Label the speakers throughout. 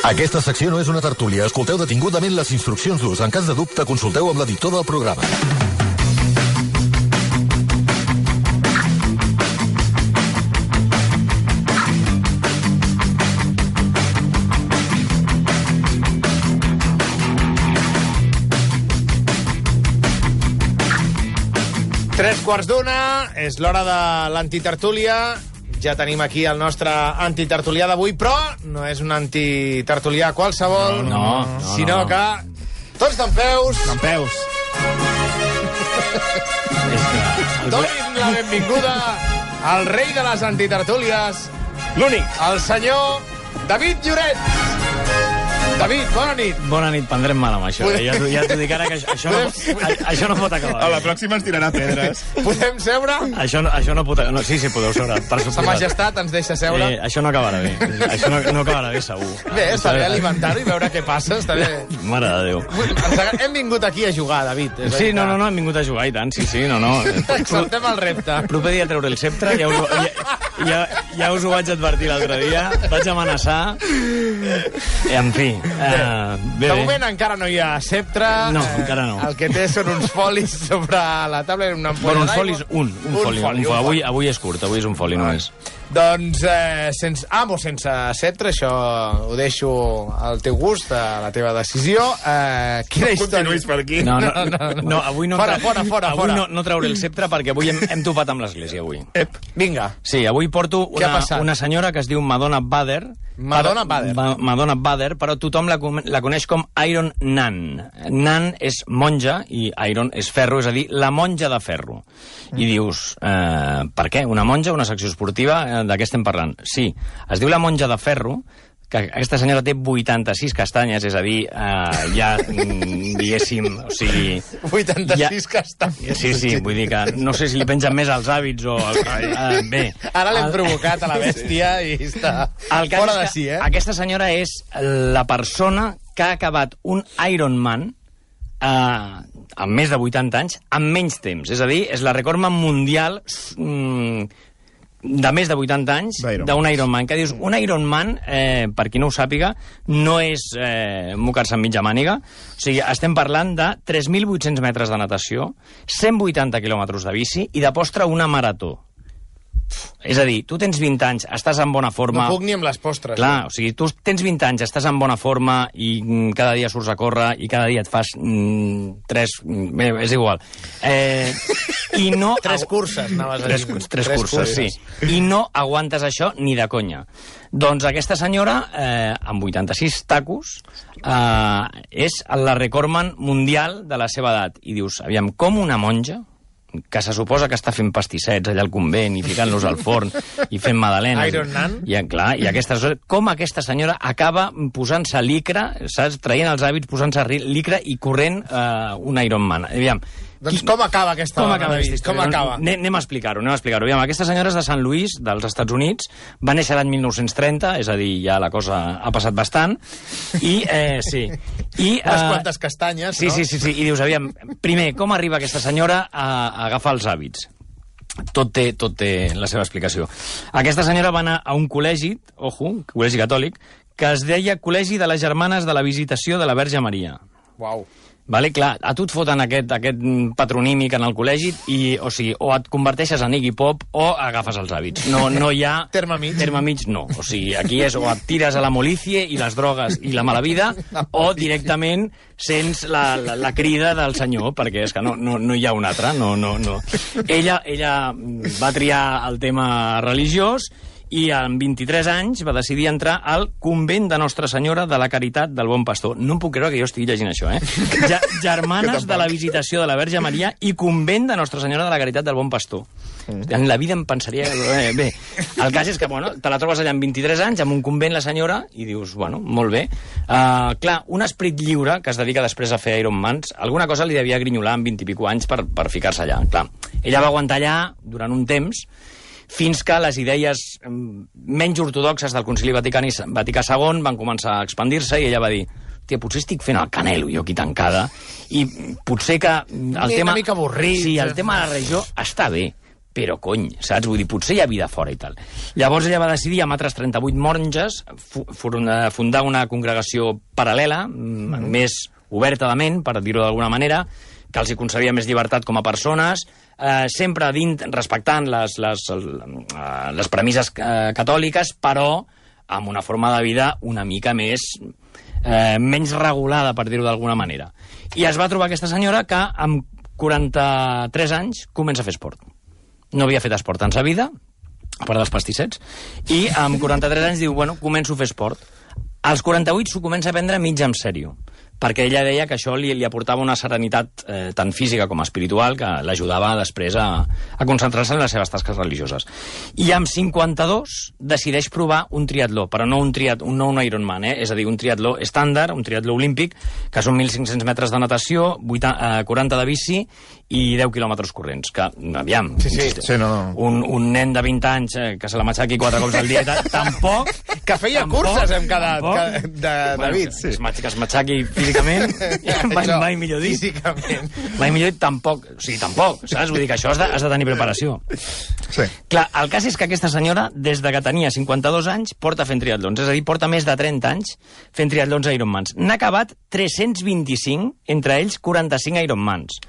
Speaker 1: Aquesta secció no és una tertúlia. Escolteu detingudament les instruccions d'ús. En cas de dubte, consulteu amb l'editor del programa.
Speaker 2: Tres quarts d'una, és l'hora de l'antitertúlia. Ja tenim aquí el nostre antitertulià d'avui, però no és un antitertulià qualsevol, sinó que tots d'en peus.
Speaker 3: D'en peus.
Speaker 2: Donin la benvinguda al rei de les antitertúlies,
Speaker 3: L'únic.
Speaker 2: el senyor David Lloret. David, bona nit.
Speaker 3: Bona nit, prendrem mal amb això. Ja t'ho dic ara que això no pot acabar.
Speaker 4: A la pròxima ens tirarà pedres.
Speaker 2: Podem seure?
Speaker 3: Això no pot acabar. No, sí, podeu seure.
Speaker 2: Sa majestat ens deixa seure?
Speaker 3: Això no acabarà bé. Això no acabarà bé, segur.
Speaker 2: Bé, està bé alimentar-ho i veure què passa, està bé.
Speaker 3: Mare de Déu.
Speaker 2: Hem vingut aquí a jugar, David.
Speaker 3: Sí, no, hem vingut a jugar, i tant, sí, no.
Speaker 2: Acceptem el repte.
Speaker 3: Proper dia treure el sceptre, ja us ho vaig advertir l'altre dia, vaig amenaçar, en fi.
Speaker 2: De moment encara no hi ha sceptre.
Speaker 3: No, encara no.
Speaker 2: El que té són uns folis sobre la taula. Una
Speaker 3: bueno, uns folis, un foli. Avui és curt, avui és un foli només.
Speaker 2: Doncs sense sceptre, això ho deixo al teu gust, a la teva decisió. Quina història?
Speaker 4: Continuïs per aquí.
Speaker 3: No, avui no...
Speaker 2: Fora.
Speaker 3: Avui no trauré el sceptre perquè avui hem topat amb l'església, avui.
Speaker 2: Vinga.
Speaker 3: Sí, avui porto una senyora que es diu Madonna Bader.
Speaker 2: Madonna Bader,
Speaker 3: però tothom la coneix com Iron Nun. Nun és monja i Iron és ferro, és a dir, la monja de ferro. I dius, per què? Una monja, una secció esportiva, de què estem parlant? Sí, es diu la monja de ferro, que aquesta senyora té 86 castanyes, és a dir, ja, diguéssim, o sigui...
Speaker 2: 86 castanyes.
Speaker 3: Sí, vull dir que no sé si li pengen més als hàbits o... Bé.
Speaker 2: Ara l'hem provocat a la bèstia i està fora de si,
Speaker 3: Aquesta senyora és la persona que ha acabat un Ironman amb més de 80 anys, amb menys temps. És a dir, és la recordman mundial de més de 80 anys d'un Ironman. Que dius, un Ironman, per qui no ho sàpiga, no és mocar-se en mitja màniga. O sigui, estem parlant de 3.800 metres de natació, 180 quilòmetres de bici i de postre una marató. És a dir, tu tens 20 anys, estàs en bona forma...
Speaker 2: No puc ni amb les postres.
Speaker 3: Clar, o sigui, tu tens 20 anys, estàs en bona forma i cada dia surts a córrer i cada dia et fas 3... Bé, és igual. I no...
Speaker 2: 3 curses, anaves a dir.
Speaker 3: 3 curses, sí. I no aguantes això ni de conya. Doncs aquesta senyora, amb 86 tacos, és la recordman mundial de la seva edat. I dius, aviam, com una monja, que se suposa que està fent pastissets allà al convent i ficant-los al forn i fent magdalenes.
Speaker 2: Iron Nun.
Speaker 3: I com aquesta senyora acaba posant-se licra, saps? Traient els hàbits, posant-se licra i corrent un Ironman. Aviam,
Speaker 2: doncs com acaba aquesta història? Com acaba?
Speaker 3: Anem a explicar-ho. Aviam, aquesta senyora és de Sant Louis, dels Estats Units, va néixer l'any 1930, és a dir, ja la cosa ha passat bastant, i sí.
Speaker 2: Unes quantes castanyes, no?
Speaker 3: Sí, i dius, aviam, primer, com arriba aquesta senyora a agafar els hàbits? Tot té la seva explicació. Aquesta senyora va anar a un col·legi, col·legi catòlic, que es deia Col·legi de les Germanes de la Visitació de la Verge Maria.
Speaker 2: Uau.
Speaker 3: Vale, clar, a tu et foten aquest patronímic en el col·legi i, o sigui, o et converteixes en Iggy Pop o agafes els hàbits. No hi ha...
Speaker 2: Terme mig,
Speaker 3: no. O sigui, aquí és o et tires a la molicie i les drogues i la mala vida o directament sents la crida del senyor, perquè és que no hi ha un altre, no. Ella va triar el tema religiós i amb 23 anys va decidir entrar al convent de Nostra Senyora de la Caritat del Bon Pastor. No em puc creure que jo estigui llegint això, Germanes de la Visitació de la Verge Maria i convent de Nostra Senyora de la Caritat del Bon Pastor. En la vida em pensaria... Bé, el cas és que, te la trobes allà amb 23 anys, amb un convent la senyora, i dius, molt bé. Clar, un esperit lliure que es dedica després a fer Ironmans, alguna cosa li devia grinyolar amb 20 i pico anys per ficar-se allà. Clar, ella va aguantar allà durant un temps, fins que les idees menys ortodoxes del Concili Vaticà II van començar a expandir-se i ella va dir, hòstia, potser estic fent el canelo jo aquí tancada i potser que el tema...
Speaker 2: Una mica avorrit.
Speaker 3: Sí, el tema de la religió està bé, però cony, saps? Vull dir, potser hi ha vida fora i tal. Llavors ella va decidir, amb altres 38 monges, fundar una congregació paral·lela, més oberta de ment, per dir-ho d'alguna manera, que els hi concedia més llibertat com a persones, sempre respectant les premisses catòliques, però amb una forma de vida una mica menys regulada, per dir-ho d'alguna manera. I es va trobar aquesta senyora que amb 43 anys comença a fer esport. No havia fet esport en sa vida, a part dels pastissets, i amb 43 anys diu, bueno, començo a fer esport. Als 48 s'ho comença a prendre mig en sèrio, perquè ella deia que això li aportava una serenitat tant física com espiritual que l'ajudava després a concentrar-se en les seves tasques religioses. I amb 52 decideix provar un triatló, però no un Ironman, és a dir, un triatló estàndard, un triatló olímpic, que són 1.500 metres de natació, 40 de bici i 10 quilòmetres corrents, que, aviam, un nen de 20 anys que se la matxaqui 4 cops al dia i tal, tampoc...
Speaker 2: Que feia curses, hem quedat, David.
Speaker 3: Que es matxaqui físicament, mai millor dit.
Speaker 2: Físicament.
Speaker 3: Mai millor dit, tampoc, saps? Vull dir que això has de tenir preparació.
Speaker 1: Sí.
Speaker 3: Clar, el cas és que aquesta senyora, des de que tenia 52 anys, porta fent triatlons, és a dir, porta més de 30 anys fent triatlons Ironmans. N'ha acabat 325, entre ells 45 Ironmans.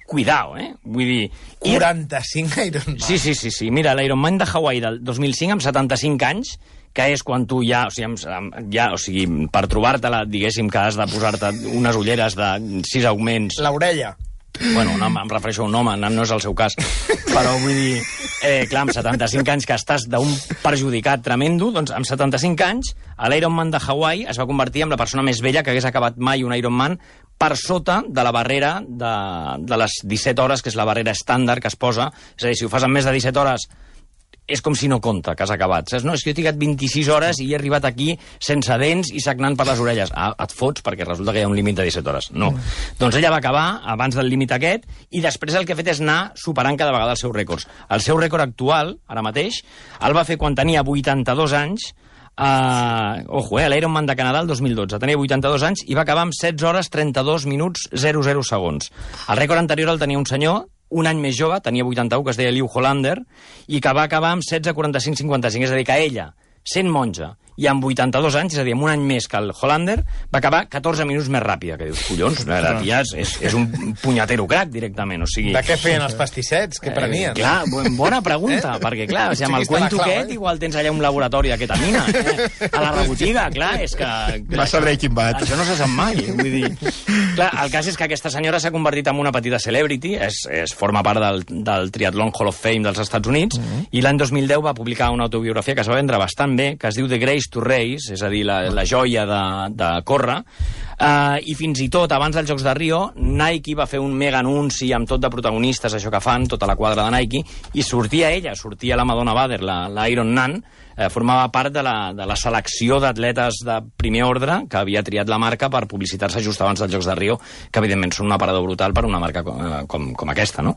Speaker 3: Cuidao, Vull dir...
Speaker 2: 45 Ironmans.
Speaker 3: Sí. Mira, l'Ironman de Hawaii del 2005, amb 75 anys, que és quan tu ja, o sigui, per trobar-te-la, diguéssim que has de posar-te unes ulleres de 6 augments...
Speaker 2: L'orella.
Speaker 3: Bueno, em refereixo a un home, no és el seu cas. Però vull dir, clar, amb 75 anys que estàs d'un perjudicat tremendo, doncs amb 75 anys, a l'Ironman de Hawaii es va convertir en la persona més vella que hagués acabat mai un Ironman per sota de la barrera de les 17 hores, que és la barrera estàndard que es posa. És a dir, si ho fas en més de 17 hores, és com si no compta que has acabat. Saps? No, és que jo he trigat 26 hores i he arribat aquí sense dents i sagnant per les orelles. Et fots perquè resulta que hi ha un límit de 17 hores. No. Doncs ella va acabar abans del límit aquest i després el que ha fet és anar superant cada vegada els seus rècords. El seu rècord actual, ara mateix, el va fer quan tenia 82 anys, l'Ironman de Canadà el 2012. Tenia 82 anys i va acabar amb 16 hores 32 minuts 00 segons. El rècord anterior el tenia un senyor un any més jove, tenia 81, que es deia Liu Hollander, i que va acabar amb 16:45:55, és a dir, que ella, sent monja, i amb 82 anys, és a dir, amb un any més que el Hollander, va acabar 14 minuts més ràpida, que dius, collons, la tia és un punyatero crac, directament, o sigui...
Speaker 2: De què feien els pastissets? Què prenien?
Speaker 3: Clar, bona pregunta, perquè, clar, o sigui, amb el cuento aquest, igual tens allà un laboratori de ketamina, a la rebotiga, clar, és que...
Speaker 1: Va ser Breaking Bad.
Speaker 3: Això no se sap mai, vull dir... Clar, el cas és que aquesta senyora s'ha convertit en una petita celebrity, forma part del Triathlon Hall of Fame dels Estats Units, i l'any 2010 va publicar una autobiografia que es va vendre bastant bé, que es diu The Grace to Race, és a dir, la joia de córrer, i fins i tot abans dels Jocs de Rio Nike va fer un mega anunci amb tot de protagonistes, això que fan, tota la quadra de Nike, i sortia la Madonna Bader, la Iron Nan, formava part de la selecció d'atletes de primer ordre que havia triat la marca per publicitar-se just abans dels Jocs de Rio, que evidentment són un aparador brutal per una marca com aquesta, no?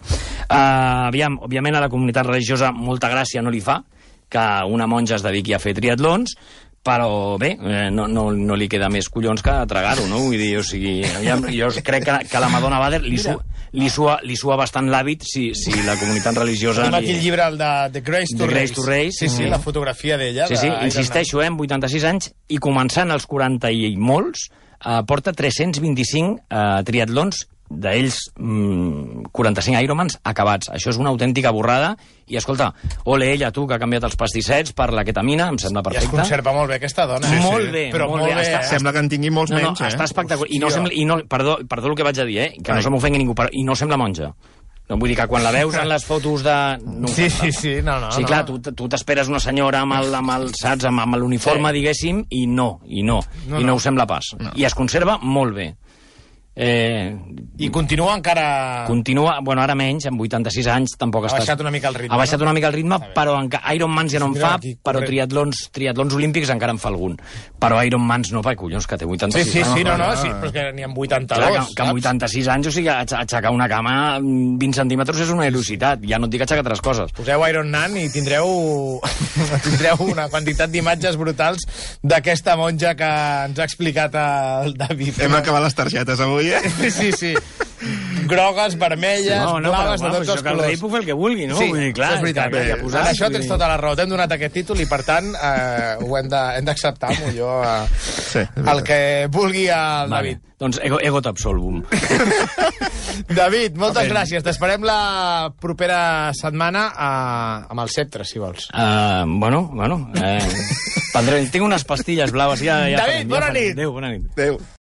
Speaker 3: Aviam, òbviament a la comunitat religiosa molta gràcia no li fa que una monja es dediqui a fer triatlons, però bé, no li queda més collons que tragar-ho, no? Vull dir, o sigui, jo crec que la Madonna Bader li sua bastant l'hàbit si la comunitat religiosa...
Speaker 2: Tenim aquí el llibre, el de The Grace to
Speaker 3: Race.
Speaker 2: Sí, la fotografia d'ella.
Speaker 3: Sí, insisteixo, amb 86 anys, i començant als 40 i molts, porta 325 triatlons, d'ells 45 Ironmans acabats. Això és una autèntica borrada i, escolta, ole ella, tu, que ha canviat els pastissets per la ketamina, em sembla perfecte.
Speaker 2: I es conserva molt bé aquesta dona.
Speaker 3: Molt bé.
Speaker 1: Sembla que en tingui molts menys,
Speaker 3: està espectacular. Perdó el que vaig a dir, que no se m'ofengui ningú, i no sembla monja. No, vull dir que quan la veus en les fotos de...
Speaker 2: Sí, no.
Speaker 3: Sí, clar, tu t'esperes una senyora amb l'uniforme, diguéssim, i no ho sembla pas. I es conserva molt bé.
Speaker 2: I continua encara...
Speaker 3: Bueno, ara menys, amb 86 anys tampoc està...
Speaker 2: Ha baixat una mica el ritme.
Speaker 3: Ha baixat una mica el ritme, però Ironmans ja no en fa, però triatlons olímpics encara en fa algun. Però Ironmans no, collons, que té 86 anys.
Speaker 2: Sí, però que n'hi ha 82,
Speaker 3: clar, que amb 86 anys, o sigui, aixecar una cama 20 centímetres és una velocitat. Ja no et dic aixecar altres coses.
Speaker 2: Poseu Ironman i tindreu una quantitat d'imatges brutals d'aquesta monja que ens ha explicat el David.
Speaker 1: Hem acabat les targetes avui,
Speaker 2: Sí. grogues, vermelles, blaves, de tots els
Speaker 3: colors. El rei puc fer el que vulgui, no?
Speaker 2: Sí,
Speaker 3: vull dir, clar,
Speaker 2: és veritat. En això tens tota la raó. T'hem donat aquest títol i, per tant, ho hem d'acceptar, millor el que vulgui el David.
Speaker 3: Doncs ego t'absolvum.
Speaker 2: David, moltes gràcies. T'esperem la propera setmana amb el Sceptre, si vols.
Speaker 3: Tinc unes pastilles blaves.
Speaker 2: David, bona nit.
Speaker 3: Adéu, bona nit.
Speaker 2: Adéu.